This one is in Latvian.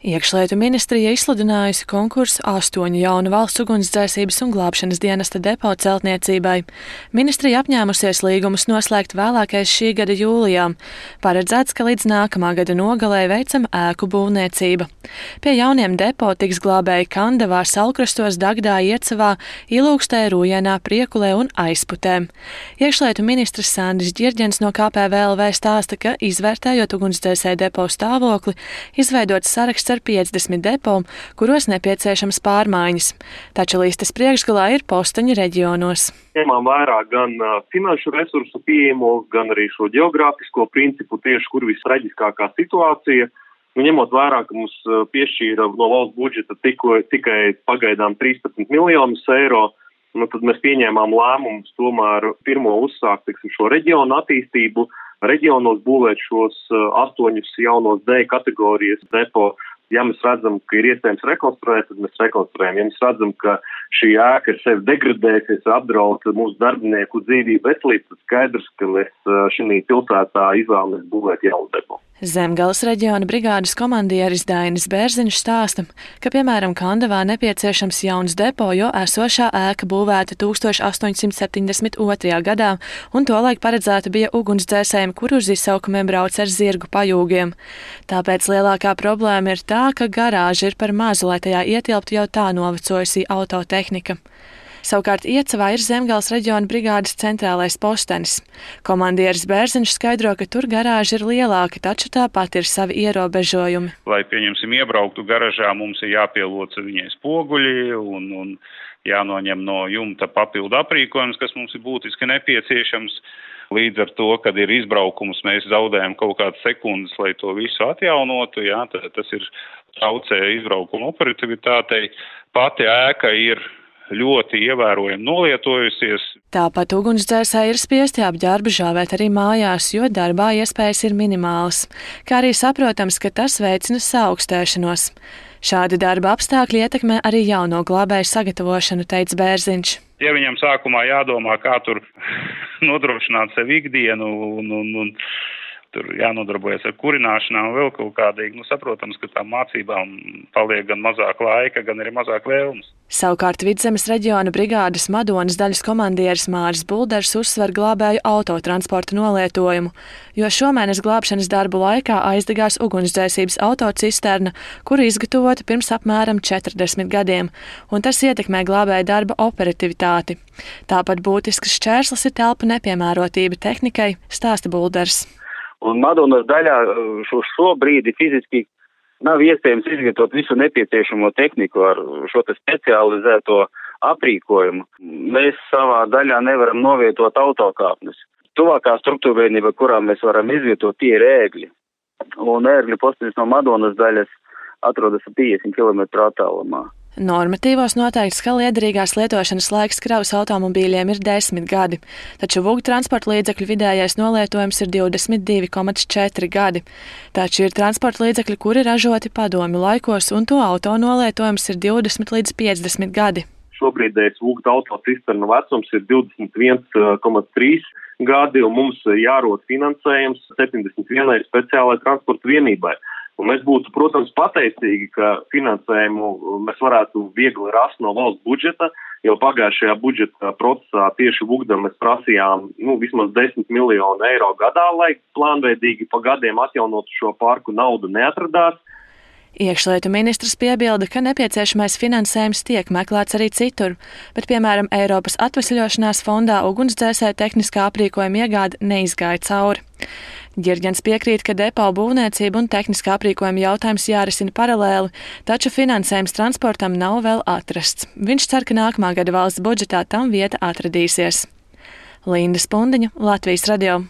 Iekšlietu ministrija izsludinājusi konkursu 8 jaunu valsts ugunsdzēsības un glābšanas dienesta depo celtniecībai. Ministrija apņēmusies līgumus noslēgt vēlākais šī gada jūlijā. Paredzēts, ka līdz nākamā gada nogalē veicama ēku būvniecība. Pie jauniem depo tiks glābēji Kandavā, Saulkrastos, Dagdā, Iecavā, Ilūkstē, Rūjienā, Priekulē un Aizputē. Iekšlietu ministrs Sandis Ģirģens no KPVLV stāsta, ka izvērtējot ugunsdzēsēju depo stāvokli, izveidots saraksts ar 50 depo, kuros nepieciešams pārmaiņas. Taču listes priekšgalā ir posteņi reģionos. Ņemām vērā gan finanšu resursu pieejamo, gan arī šo geogrāfisko principu, tieši kur vistraģiskākā situācija. Ņemot vērā, ka mums piešķīra no valsts budžeta tikai pagaidām 13 miljonus eiro, tad mēs pieņēmām lēmumus tomēr pirmo uzsākt šo reģionu attīstību, reģionos būvēt šos 8 jaunos D kategorijas depo. Ja mēs redzam, ka ir iespējams rekonstruēt, tad mēs rekonstruējam. Ja mēs redzam, ka šī ēka ir sevi degradējusies, apdraud mūsu darbinieku dzīvību, veselību, tad skaidrs, ka mēs šī pilsētā izvēlamies būvēt jaunu depo. Zemgales reģiona brigādes komandieris Dainis Bērziņš stāsta, ka, piemēram, Kandavā nepieciešams jauns depo, jo esošā ēka būvēta 1872. gadā, un tolaik paredzēta bija ugunsdzēsējiem, kur uz izsaukumiem brauc ar zirgu pajūgiem. Tāpēc lielākā problēma ir tā, ka garāža ir par mazu, lai tajā ietilptu jau tā novecojusī autotehnika. Savukārt Iecavā ir Zemgales reģiona brigādes centrālais postenis. Komandieris Bērziņš skaidro, ka tur garāža ir lielāka, taču tāpat ir savi ierobežojumi. Lai, pieņemsim, iebrauktu garažā, mums ir jāpieloca viņai spoguļi un jānoņem no jumta papildu aprīkojums, kas mums ir būtiski nepieciešams. Līdz ar to, kad ir izbraukums, mēs zaudējam kaut kādas sekundes, lai to visu atjaunotu. Tas ir traucē izbraukuma operativitātei. Pati ēka ir ļoti ievērojami nolietojusies. Tāpat ugunsdzēsēji ir spiesti apģērbu žāvēt arī mājās, jo darbā iespējas ir minimālas. Kā arī saprotams, ka tas veicina saaugstēšanos. Šādi darba apstākļi ietekmē arī jauno glābēju sagatavošanu, teica Bērziņš. Ja viņam sākumā jādomā, kā tur nodrošināt sev ikdienu un tur jānodarbojas ar kurināšanām vēl kaut kādīgi, saprotams, ka tām mācībām paliek gan mazāk laika, gan arī mazāk vēlmes. Savukārt Vidzemes reģiona brigādes Madonas daļas komandieris Māris Bulders uzsver glābēju autotransporta nolietojumu, jo šomēnes glābšanas darbu laikā aizdegās ugunsdzēsības autocisterna, kuru izgatavota pirms apmēram 40 gadiem, un tas ietekmē glābēju darba operativitāti. Tāpat būtisks šķērslis ir telpu nepiemērotība tehnikai, stāsta Bulders. Un Madonas daļā šobrīd fiziski nav iespējams izvietot visu nepieciešamo tehniku ar šo specializēto aprīkojumu. Mēs savā daļā nevaram novietot autokāpnes. Tuvākā struktūrvienība, kurā mēs varam izvietot, tie ir ēgļi. Un ēgļu postenis no Madonas daļas atrodas 50 km attālumā. Normatīvos noteikts, ka liederīgās lietošanas laiks kravas automobīļiem ir 10 gadi, taču vūgu transporta līdzekļu vidējais nolietojums ir 22,4 gadi. Taču ir transporta līdzekļi, kuri ražoti padomju laikos, un to auto nolietojums ir 20 līdz 50 gadi. Šobrīdējais vūgu autocisternu vecums ir 21,3 gadi, un mums jārod finansējums 71 speciālai transporta vienībai. Un mēs būtu, protams, pateicīgi, ka finansējumu mēs varētu viegli rast no valsts budžeta, jo pagājušajā budžeta procesā tieši vugdam mēs prasījām vismaz 10 miljonu eiro gadā, lai plānveidīgi pa gadiem atjaunotu šo parku, naudu neatradās. Iekšlietu ministrs piebilda, ka nepieciešamais finansējums tiek meklēts arī citur, bet, piemēram, Eiropas atvesļošanās fondā ugunsdzēsēju tehniskā aprīkojuma iegāde neizgāja cauri. Ģirģens piekrīt, ka depo būvniecība un tehniskā aprīkojuma jautājums jārisina paralēli, taču finansējums transportam nav vēl atrasts. Viņš cer, ka nākamā gada valsts budžetā tam vieta atradīsies. Linda Spundiņa, Latvijas radio.